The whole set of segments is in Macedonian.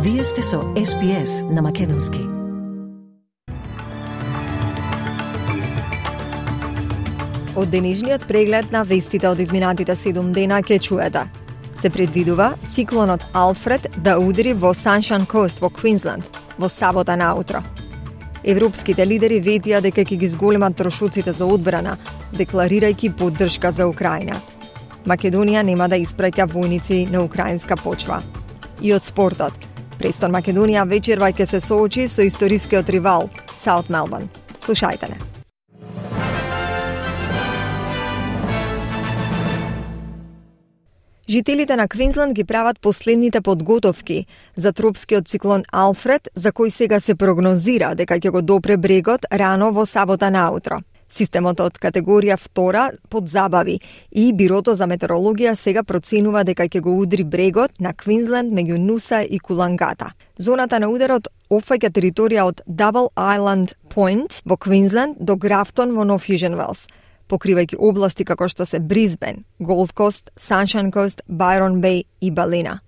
Вие сте со SPS на Македонски. Од денешниот преглед на вестите од изминатите 7 дена ќе чуете. Се предвидува циклонот Алфред да удри во Sunshine Coast во Квинсленд во сабота наутро. Европските лидери ветија дека ќе ги зголемат трошоците за одбрана, декларирајќи поддршка за Украина. Македонија нема да испраќа војници на украинска почва. И од спортот. Престон Македонија вечерва ќе се соочи со историскиот ривал Саут Мелбурн. Слушајте не. Жителите на Квинсленд ги прават последните подготовки за тропскиот циклон Алфред, за кој сега се прогнозира дека ќе го допре брегот рано во сабота наутро. Системот од категорија 2 подзабави и Бирото за метеорологија сега проценува дека ќе го удри брегот на Квинсленд меѓу Нуса и Кулангата. Зоната на ударот опфаќа територија од Double Island Point во Квинсленд до Графтон во Нов Южен Велс, покривајќи области како што се Брисбен, Голд Кост, Sunshine Coast, Байрон Беј и Балина.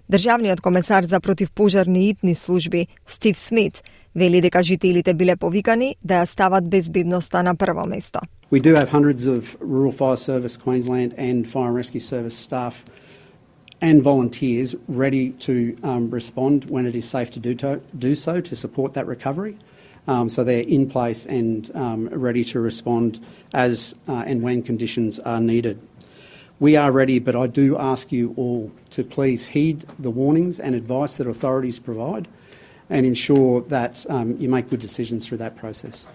Државниот комесар за противпожарни итни служби Стив Смит вели дека жителите биле повикани да ја стават безбедноста на прво место. We do have hundreds of Rural Fire Service Queensland and Fire and Rescue Service staff and volunteers ready to respond when it is safe to do so to support that recovery. So they're in place and ready to respond as and when conditions are needed. We are ready, but I do ask you all to please heed the warnings and advice that authorities provide and ensure that you make good decisions through that process.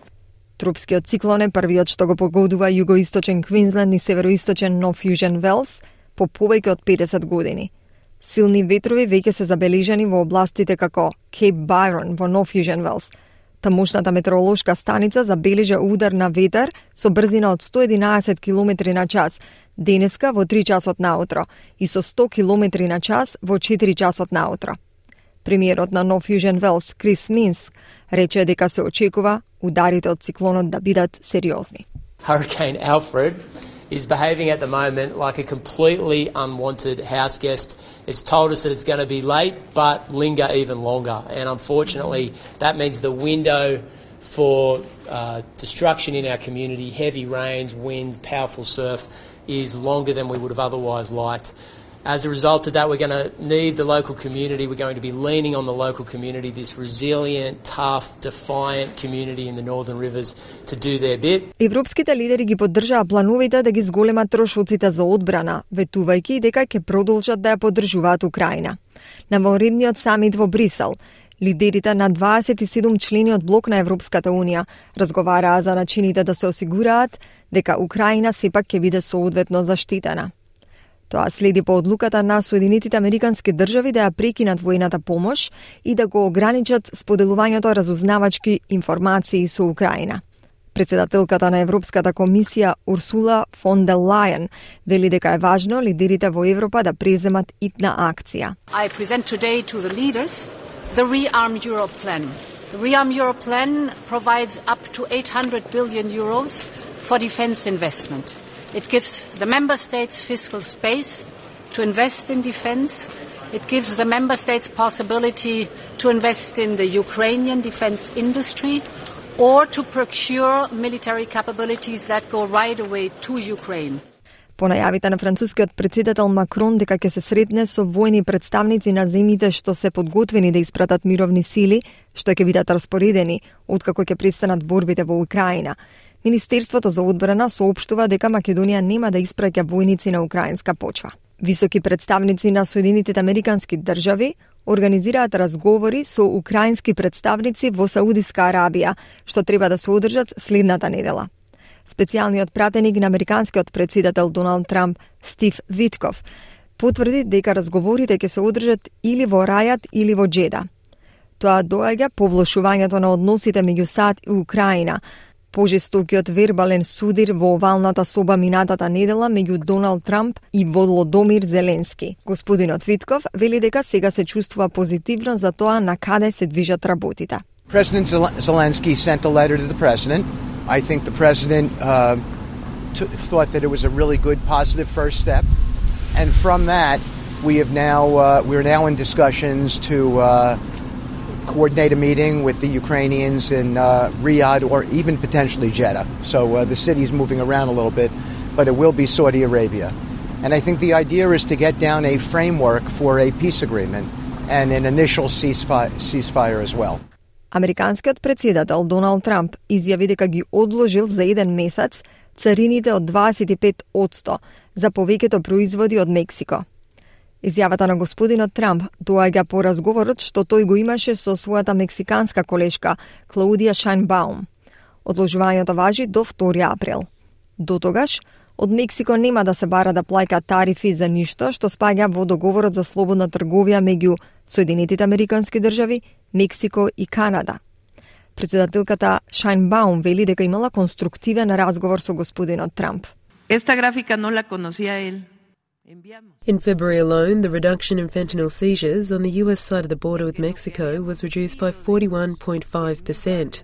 Тропскиот циклон е првиот што го погодува југоисточен Квинсленд и североисточен Нов Южен Велс по повеќе од 50 години. Силни ветрови веќе се забележани во областите како Кейп Байрон во Нов Южен Велс. Тамошната метеоролошка станица забележа удар на ветер со брзина од 111 км на час денеска во 3 часот наутро и со 100 км на час во 4 часот наутро. Премиерот на Нов Южен Велс, Крис Минс, рече дека се очекува ударите од циклонот да бидат сериозни. Hurricane Alfred is behaving at the moment like a completely unwanted house guest. It's told us that it's going to be late, but linger even longer. And unfortunately, that means the window for destruction in our community, heavy rains, winds, powerful surf, is longer than we would have otherwise liked. As a result of that, we're going to need the local community. We're going to be leaning on the local community, this resilient, tough, defiant community in the Northern Rivers to do their bit. Европските лидери ги поддржаа плановите да ги зголемат трошоците за одбрана, ветувајќи дека ќе продолжат да ја поддржуваат Украина. На вонредниот самит во Брисел, лидерите на 27 члени од блок на Европската Унија разговараа за начините да се осигураат дека Украина сепак ќе биде соодветно заштитена. Тоа следи по одлуката на Соединетите Американски држави да ја прекинат војната помош и да го ограничат споделувањето разузнавачки информации со Украина. Председателката на Европската комисија Урсула фон дер Лајен вели дека е важно лидерите во Европа да преземат итна акција. I present today to the leaders the Rearm Europe plan. The Rearm Europe plan provides up to 800 billion euros for defense investment. It gives the member states fiscal space to invest in defense. It gives the member states possibility to invest in the Ukrainian defense industry or to procure military capabilities that go right away to Ukraine. По најавите на францускиот претседател Макрон дека ќе се сретне со војни представници на земјите што се подготвени да испратат мировни сили, што ќе бидат распоредени откако ќе престанат борбите во Украина, Министерството за одбрана соопштува дека Македонија нема да испраќа војници на украинска почва. Високи представници на Соединетите Американски држави организираат разговори со украински представници во Саудиска Арабија, што треба да се одржат следната недела. Специјалниот пратеник на американскиот претседател Доналд Трамп, Стив Витков, потврди дека разговорите ќе се одржат или во Рајад или во Джеда. Тоа доаѓа по влошувањето на односите меѓу САД и Украина, пожестокиот вербален судир во овалната соба минатата недела меѓу Доналд Трамп и Володомир Зеленски. Господинот Витков вели дека сега се чувствува позитивно за тоа на каде се движат работите. President Zelensky sent a letter to the president. I think the president thought that it was a really good, positive first step. And from that, We're now in discussions to coordinate a meeting with the Ukrainians in Riyadh or even potentially Jeddah. So the city is moving around a little bit, but it will be Saudi Arabia. And I think the idea is to get down a framework for a peace agreement and an initial ceasefire as well. Американскиот претседател Доналд Трамп изјави дека ги одложил за 1 месец царините од 25% за повеќето производи од Мексико. Изјавата на господинот Трамп доаѓа по разговорот што тој го имаше со својата мексиканска колешка Клаудија Шајнбаум. Одложувањето важи до 2 април. До тогаш, од Мексико нема да се бара да плаќа тарифи за ништо што спаѓа во договорот за слободна трговија меѓу Соединетите Американски држави, Мексико и Канада. Председателката Шајнбаум вели дека имала конструктивен разговор со господинот Трамп. Esta gráfica no la conocía él. In February alone, the reduction in fentanyl seizures on the US side of the border with Mexico was reduced by 41.5%.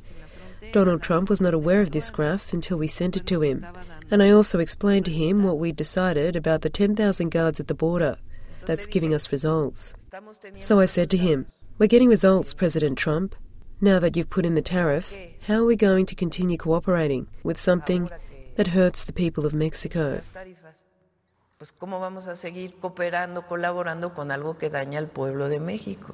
Donald Trump was not aware of this graph until we sent it to him. And I also explained to him what we'd decided about the 10,000 guards at the border. That's giving us results. So I said to him, "We're getting results, President Trump. Now that you've put in the tariffs, how are we going to continue cooperating with something that hurts the people of Mexico?" Pues cómo vamos a seguir cooperando, colaborando con algo que daña al pueblo de México.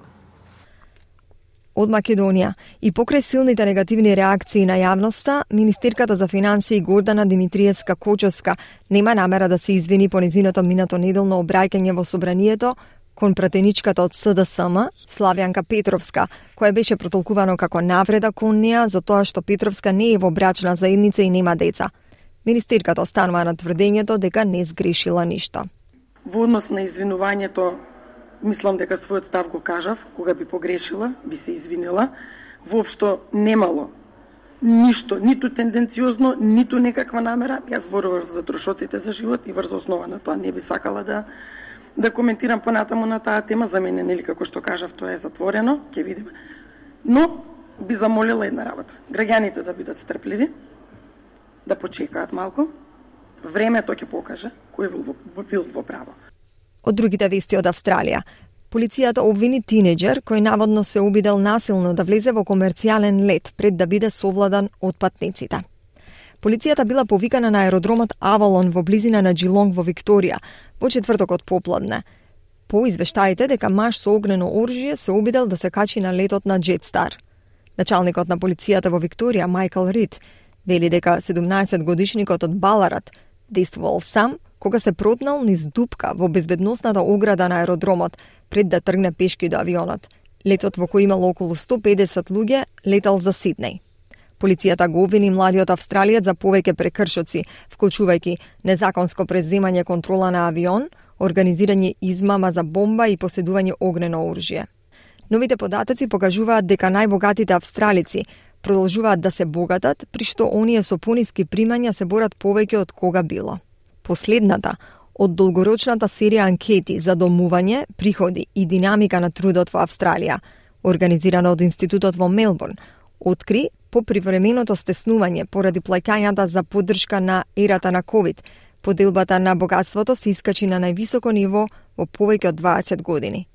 Од Македонија и покрај силните негативни реакции на јавноста, министерката за финансии Гордана Димитриевска-Кочовска нема намера да се извини по незиното минато неделно обраќање во собранието кон пратеничката од СДСМ, Славјанка Петровска, која беше протолкувано како навреда кон неа за тоа што Петровска не е во брачна заедница и нема деца. Министерката останува на тврдењето дека не сгрешила ништо. Во однос на извинувањето, мислам дека својот став го кажав, кога би погрешила, би се извинила. Воопшто немало ништо, ниту тенденциозно, ниту некаква намера. Јас зборував за трошоците за живот и врз основа на тоа не би сакала да коментирам понатаму на таа тема. За мене, нели, како што кажав, тоа е затворено, ќе видиме. Но би замолила една работа. Граѓаните да бидат стрпливи, да почекаат малку. Времето ќе покаже кој бил во право. Од другите вести од Австралија. Полицијата обвини тинеџер кој наводно се обидел насилно да влезе во комерцијален лет пред да биде совладан од патниците. Полицијата била повикана на аеродромот Авалон во близина на Джилонг во Викторија во четвртокот попладне. По извештаите дека маж со огнено оружје се обидел да се качи на летот на Джетстар. Началникот на полицијата во Викторија, Майкл Рид, вели дека 17-годишникот од Баларат действувал сам кога се протнал низ дупка во безбедносната ограда на аеродромот пред да тргне пешки до авионот. Летот во кој имало околу 150 луѓе летал за Сиднеј. Полицијата го обвини младиот австралиец за повеќе прекршоци, вклучувајќи незаконско преземање контрола на авион, организирање измама за бомба и поседување огнено оружје. Новите податоци покажуваат дека најбогатите австралици продолжуваат да се богатат, при што оние со пониски примања се борат повеќе од кога било. Последната од долгорочната серија анкети за домување, приходи и динамика на трудот во Австралија, организирана од Институтот во Мелбурн, откри по привременото стеснување поради плаќањата за поддршка на ерата на COVID, поделбата на богатството се искачи на највисоко ниво во повеќе од 20 години.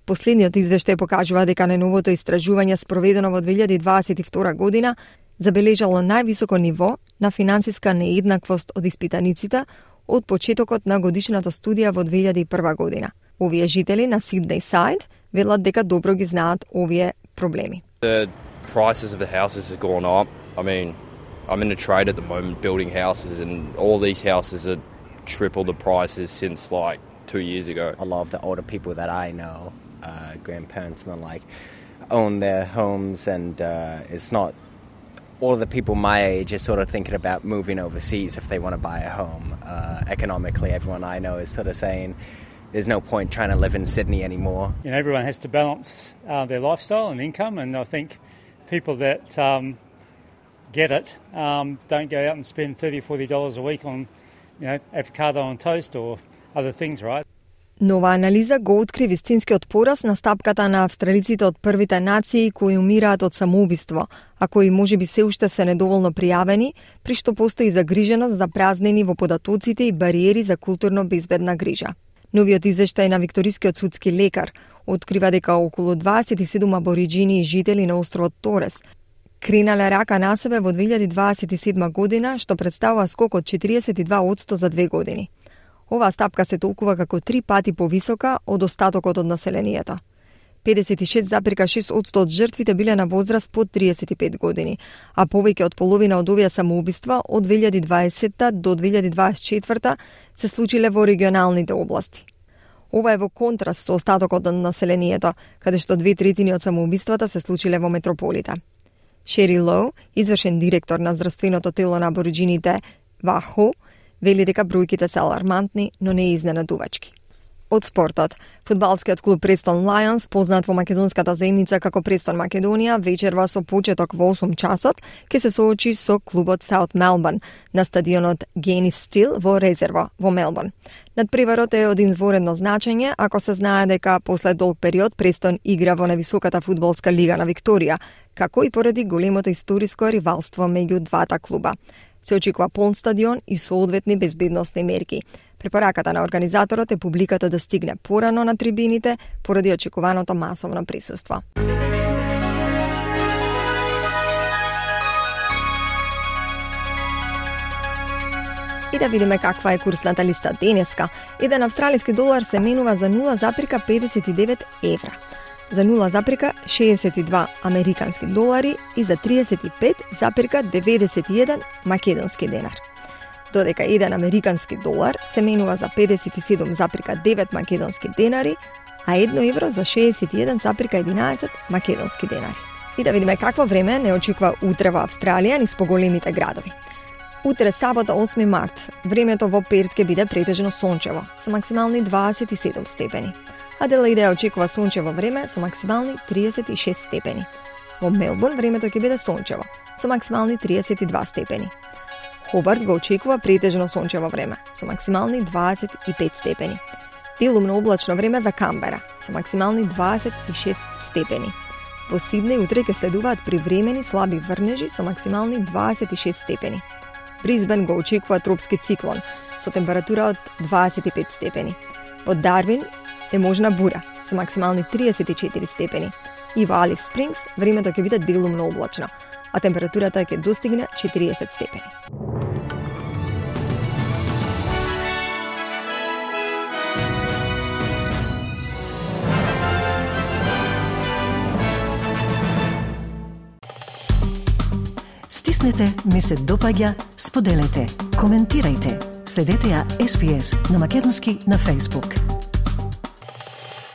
Последниот извештај покажува дека најновото истражување спроведено во 2022 година забележало највисоко ниво на финансиска нееднаквост од испитаниците од почетокот на годишната студија во 2001 година. Овие жители на Сиднеј Сайд велат дека добро ги знаат овие проблеми. The prices of the houses have gone up. I mean, I'm in a trade at the moment building houses and all these houses are triple the prices since like 2 years ago. A lot of the older people that I know, grandparents and the like, own their homes and it's not all of the people my age are sort of thinking about moving overseas if they want to buy a home. Economically, everyone I know is sort of saying there's no point trying to live in Sydney anymore. You know, everyone has to balance their lifestyle and income, and I think people that get it don't go out and spend $30 or $40 a week on, you know, avocado on toast or other things, right? Нова анализа го откри вистинскиот пораз на стапката на австралиците од првите нации кои умираат од самоубиство, а кои можеби се уште се недоволно пријавени, при што постои загриженост за празнини во податоците и бариери за културно безбедна грижа. Новиот извештај на Викторискиот судски лекар открива дека околу 27 абориџини и жители на островот Торес кренале рака на себе во 2027 година, што представува скок од 42% за 2 години. Оваа стапка се толкува како 3 пати повисока од остатокот од населението. 56,6% од жртвите биле на возраст под 35 години, а повеќе од половина од овие самоубиства од 2020 до 2024 се случиле во регионалните области. Ова е во контраст со остатокот од населението, каде што 2/3 од самоубиствата се случиле во метрополите. Шери Лоу, извршен директор на здравственото тело на абориџините ВАХО, вели дека бројките се алармантни, но не изненадувачки. Од спортот, фудбалскиот клуб Престон Лајонс, познат во македонската заедница како Престон Македонија, вечерва со почеток во 8 часот ќе се соочи со клубот Саут Мелбурн на стадионот Генис Стил во Резерво во Мелбурн. Надпреварот е од изворедно значење ако се знае дека после долг период Престон игра во највисоката фудбалска лига на Викторија, како и поради големото историско ривалство меѓу двата клуба. Се очекува полн стадион и соодветни безбедносни мерки. Препораката на организаторот е публиката да стигне порано на трибините поради очекуваното масовно присуство. И да видиме каква е курсната листа денеска. Еден австралиски долар се менува за 0,59 евра, за 0,62 американски долари и за 35,91 македонски денар. Додека еден американски долар се менува за 57,9 македонски денари, а 1 евро за 61,11 македонски денари. И да видиме какво време не очекува утре во Австралија низ поголемите градови. Утре сабота 8 март, времето во Перт ќе биде претежно сончево, со максимални 27 степени. Аделаида очекува сончево време со максимални 36 степени. Во Мелбурн времето ќе биде сончево, со максимални 32 степени. Хобарт го очекува претежно сончево време, со максимални 25 степени. Делумно облачно време за Камбера, со максимални 26 степени. Во Сиднеј утре ќе следуваат привремени слаби врнежи со максимални 26 степени. Брисбен го очекува тропски циклон, со температура од 25 степени. Во Дарвин е можна бура, со максимални 34 степени. И во Алис Спрингс времето ќе биде делумно облачно, а температурата ќе достигне 40 степени. Стиснете, ми се допаѓа, споделете, коментирајте. Следете ја SPS на Македонски на Facebook.